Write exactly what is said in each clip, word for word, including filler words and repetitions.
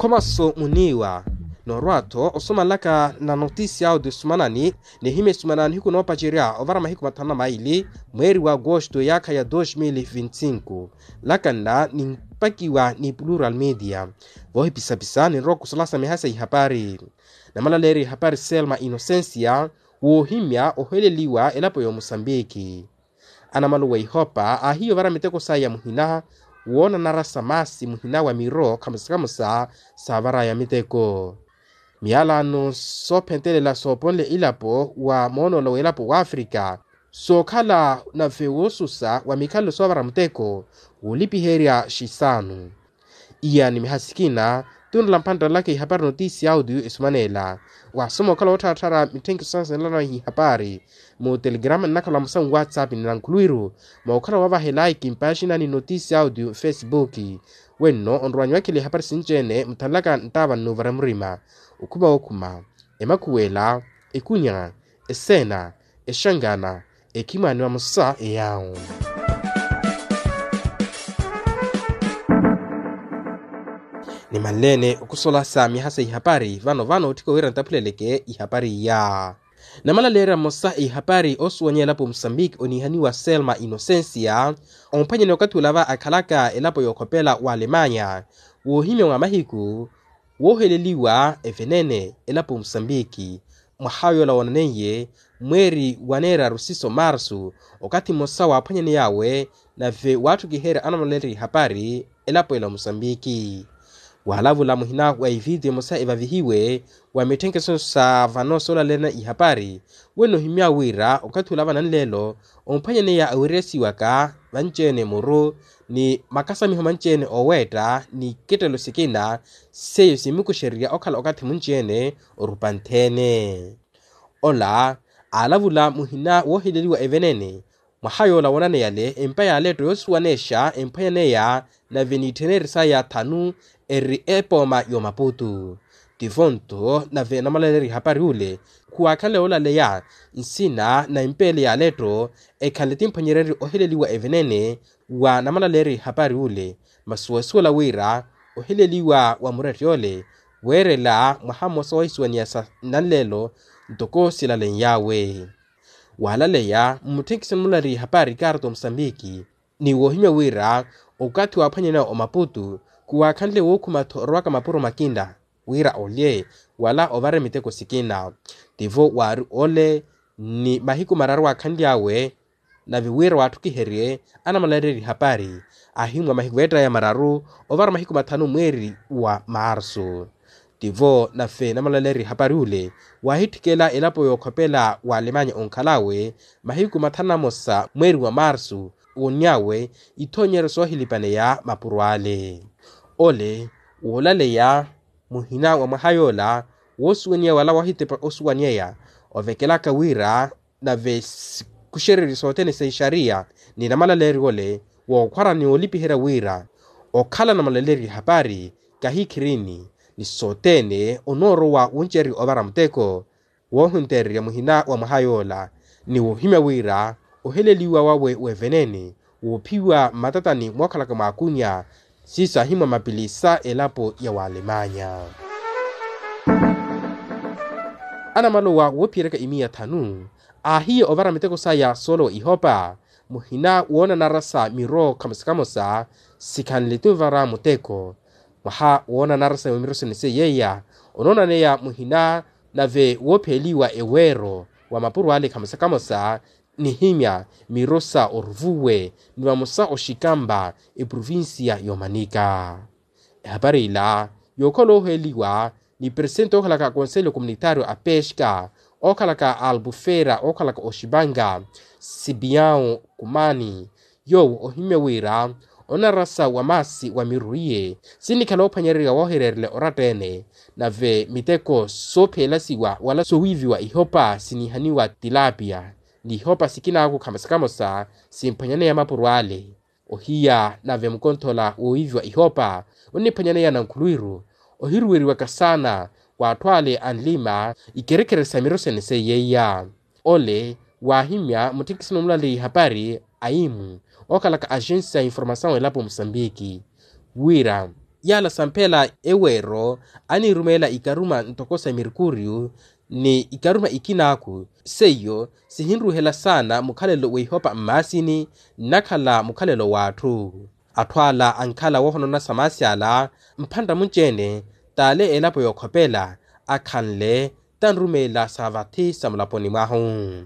Thomaso muniiwa, norwa-tho osumalaka na notisia audio esumanani, nihimya esumana nihiku noopacerya ovara mahiku mathanu na maili, mweeri wa agosto yaakha ya dos mil vinti cinco. Laka nla nimpakiwa ni plural media. Voohipisapisa ninrowa okusolasa miha sa ihapari. Namalaleerya ihapari selma inocencia, woohimya oheleliwa elapo ya omusambiki. Anamaluwa ihopa aahiya ovara miteko saya muhina, woonanara sa maasi muhina wa miro khamusakamusa, saavaraya miteko. Miyalano soophentelela sooponle ilapo wa moonolo w'elapo w'afrika, sookhala nave woosusa wa mikhalelo soovara muteko, woolipiherya xisanu. Iya ni miha sikina, tunrela mphantta laka ihapari notisia audio esumanela. Wasoma okhala woottharatthara mitthenkiso sansenelano ihapari, mu telegrama nnakhala mmosa nwatsapp ni nankhuluwiru, mookhala wavaha elaiki mpaxina ni notisia audio mfesibuki. Wenno onrowanyu wakhela ihapari sinci-ene muthanlaka nttaava nnuuvara murima, okhuma wookhuma, emakhuwela, ekunya, eseena, exangana, ekhimwaani vamosa eyaawo. Nimanleene okusolasa miha sa ihapari vano vano otthika wira ntaphuleleke ihapari iya. Namalaleerya mmosa ihapari osuwanya elapo musambiki oniihaniwa selma inocencia, omphwanyani okathi olava akhalaka elapo yookhopela wa alemanya, woohimya mwa mahiku wooheleliwa evenene elapo musambiki. Mwaha yoola woonaneiye mweeri wa neeraru siso marsu, okathi mmosa waaphwanyaney'awe nave waatthukiherya anamaleerya ihapari elapo ela musambiki. Waalavula muhina wa ivitiyo emosa evavihiwe wa mitthenkeso sa vano soolalerya ihapari, wenno ohimya wira okathi olava nanleelo omphwanyaneya awiryesiwaka vanci-ene muru ni makasamiho manci-ene ooweetta ni kittelo sikina, seiyo simukuxererya okhala okathi munci-ene orupantheene. Ola aalavula muhina wooheleliwa evenene. Mwaha yoola woonaneyale empa ya aletto yoosuwanexa emphwanyaneya nave n'ittheneri saya thanu, eri epooma y'omaputu. Tivo-nto nave namalaleerya ihapari ule khuwaakhanle woolaleya nsina na empeele ya aletto, ekhanle timphwanyerenrye oheleliwa evenene wa namalaleerya ihapari ule. Masi woosuwela wira oheleliwa wa mureryoole weerela mwaha mmosa wa isuwaniya sa nanleelo ntoko silalen'yawe. Waalaleya mmutthenkiso namalaleerya ihapari kaarto musambiki, ni woohimya wira okathi waaphwanyaneya omaputu khuwaakhanle wookhuma-tho orowaka mapuro makinla wira olye wala ovare miteko sikina. Tivo waari ole ni mahiku mararu waakhanly'awe, nave wira waatthukiherye anamalareerya ihapari, ahimmwa mahiku veettaya mararu ovara mahiku mathanu mweeri wa marsu. Tivo nave namalaleerya ihapari ule waahitthikela elapo yookhopela wa alemanya onkhal'awe mahiku mathanu na mosa mweeri wa marsu, woonny'awe ithoonyeryo soohilipaneya mapuro ale. Ole woolaleya muhina wa mwaha yoola woosuwaniya wala wahitepa osuwaniyeya ovekelaka wira nave sikuxererye sothene sa ixariya ni namalaleeryo ole wookhwara ni woolipiherya wira okhala namalaleeryo ihapari kahikhirini ni sothene onoorowa wuncererya ovara muteko woohuntererya muhina wa mwaha yoola ni woohimya wira oheleliwa wawe w'evenene woophiwa mmatatani mookhalaka mwaakunya siiso ahimmwa mapili sa elapo ya waalemanya. Anamalowa woophiyeryaka imiya thanu aahiye ovara miteko saya soolowa ihopa muhina woonanara sa miro khamosa khamosa sikhanle tunvara muteko. Mwaha woonanara sa miro sene seiyeya onoonaneya muhina nave woopheeliwa eweero wa mapuro ale khamosa khamosa nihimya miro sa oruvuwe ni vamosa oxikampa eprovincia y'omanika. Ehapari ila yookhola ooheeliwa ni presente ookhalaka akonselho communitario a pesca ookhalaka a albufera ookhalaka oxipanga sipiao kumani yoowo ohimya wira onarasa wa maasi wa miru iye sinikhala oophwanyererya woohireerela oratta-ene nave miteko soopheelasiwa wala soowiiviwa ihopa siniihaniwa tilapia ni ihopa sikinaaku khamosa khamosa simphwanyaneya mapuro ale. Ohiya nave mukonthola woowiiviwa ihopa onniphwanyaneya nankhuluwiru ohiruweriwaka saana w'atthu ale anlima ikerekere sa miro sene seiyeiya. Ole waahimya mutthikisi nomulaleya ihapari aimu ookhalaka axensi ya informasawu elapo musambiki wira Yaala samphela eweero aniirumeela ikaruma ntoko sa merkuriyu ni ikaruma ikinaaku, seiyo sihinruhela saana mukhalelo w'ihopa mmaasini nnakhala mukhalelo w'atthu. Atthu ala ankhala woohonona sa maasi ala mphantta munci-ene t'ale elapo yookhopela akhanle tanrumeela sa vathi sa mulaponi mwahu.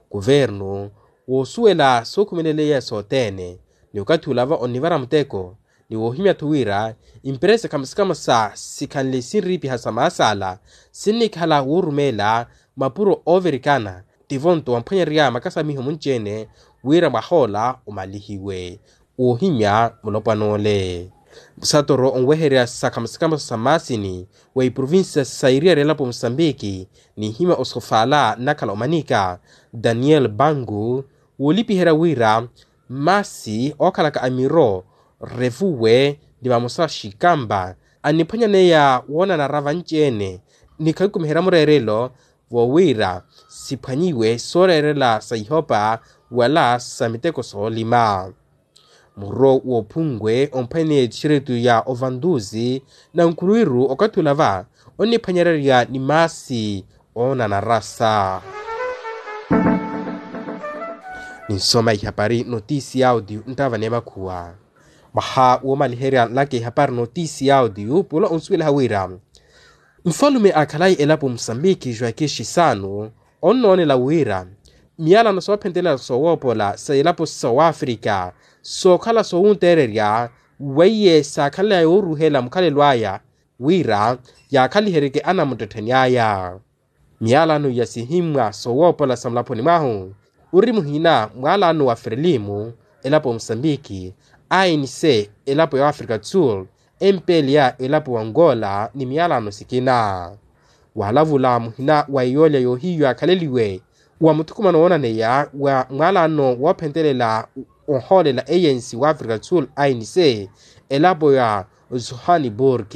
Kuvernu woosuwela sookhumeleleya sothene ni okathi olava onnivara muteko ni woohimya-tho wira imperesa khamusi-khamusi sikhanle sinriipiha sa maasi ala sinnikhala woorumeela mapuro oovirikana tivo-nto wamphwanyerya makasamiho munci-ene wira mwah'ola omalihiwe. Woohimya mulopwana ole musatoro onweherya sa khamusi-khamusi sa mmaasini wa iprovincia sa eriyari elapo musambiki n'ihimya osofala nnakhala omanika daniel bangu woolipiherya wira mmaasi ookhalaka amiro revuwe ni vamosa xikampa anniphwanyaneya woonanara vanci-ene ni khakukumiherya mureerelo vowiira siphwanyiwe sooreerela sa ihopa wala sa miteko soolima. Muro woophunwe omphwene tixeretu ya ovantusi na nkhuluwiru okathi olava onniphwanyererya ni maasi oonanarasa. Ninsoma ihapari notisi ya audio nttava n'emakhuwa. Mwaha woomaliherya nlaka ihapari notisi ya audio pula onsuwelaha wira nfalume a khalayi elapo musambiki joaquin xisano onnoonela wira miyalano soophentelela soowoopola sa elapo sa wafrika sookhala soowunteererya weiye saakhanly'aya wooruhela mukhalelo aya wira yaakhaliheryeke anamuttettheni aya. Miyalano ya sihimmwa soowoopola sa mulaponi mwahu ori muhina mwalano wa frelimo elapo ya musambiki, anc elapo ya afrika do sul, mpla elapo wa angola ni miyalano sikina. Waalavula muhina wa iyoolya yoohiyu yaakhaleliwe wa muthukumano woonaneya wa mwalano woophentelela ohoolela anc wa afrika do sul, anc elapo ya johannesburg.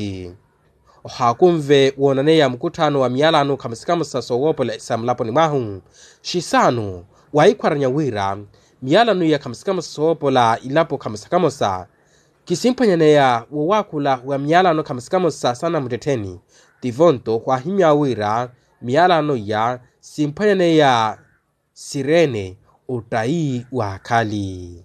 Ohaakunve woonaneya mukutthaano wa miyalano khamusikhamusa soowoopola sa mulaponi mwahu. Xisano waahikhwaranya wira miyalano iya khamusikhamusa soowoopola ilapo khamusikhamusa kisimphwanyaneya wowaakhula wa miyalano khamusikhamusa sa namuttettheni. Tivo-nto khwaahimya wira miyalano iya simphwanyaneya sireene ottayi waakhali.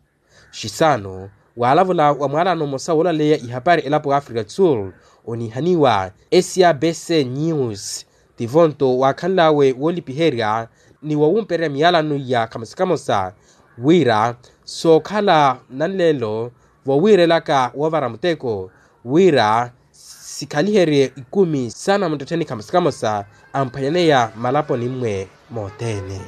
Xisano waalavula wa mwalano mmosa woolaleya ihapari elapo ya afrika do sul oniihaniwa sabc news. Tivo-nto waakhanl'awe woolipiherya ni wowumpererya miyalano iya khamusikhamusa wira sookhala nanleelo vowiirelaka woovara muteko wira sikhaliherye ikumi sa namuttettheni khamusikhamusa amphwanyaneya malaponi-mwe mothene.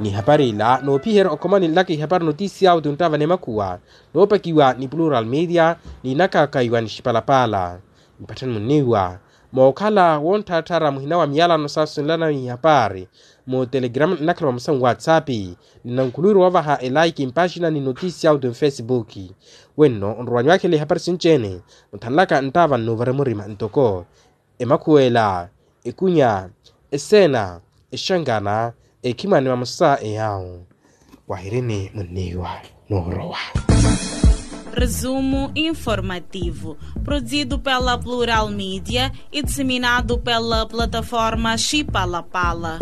N'ihapari ila noophiherya okhomani nlaka ihapari notisi ya audio nttava n'emakhuwa noopakiwa ni plural media ni nakaakaiwa ni xipalapala. Mpatthani munniiwa mookhala wontthaatthaara muhina wa miyalano saasunlana ihapari mu telegrama nnakhala vamosa nwatsapp ni nankhuluwiru woovaha elaiki mpaxina ni notisi ya audio mfesibuki. Wenno onrowa nywakhela ihapari sinci-ene mutthanlaka nttava nnuuvare murima ntoko emakhuwela, ekunya, eseena, exangana, ekhimani vamosa eyawu. Wahirini munniiwa noorowa. Resumo informativo, produzido pela plural media e disseminado pela plataforma xipalapala.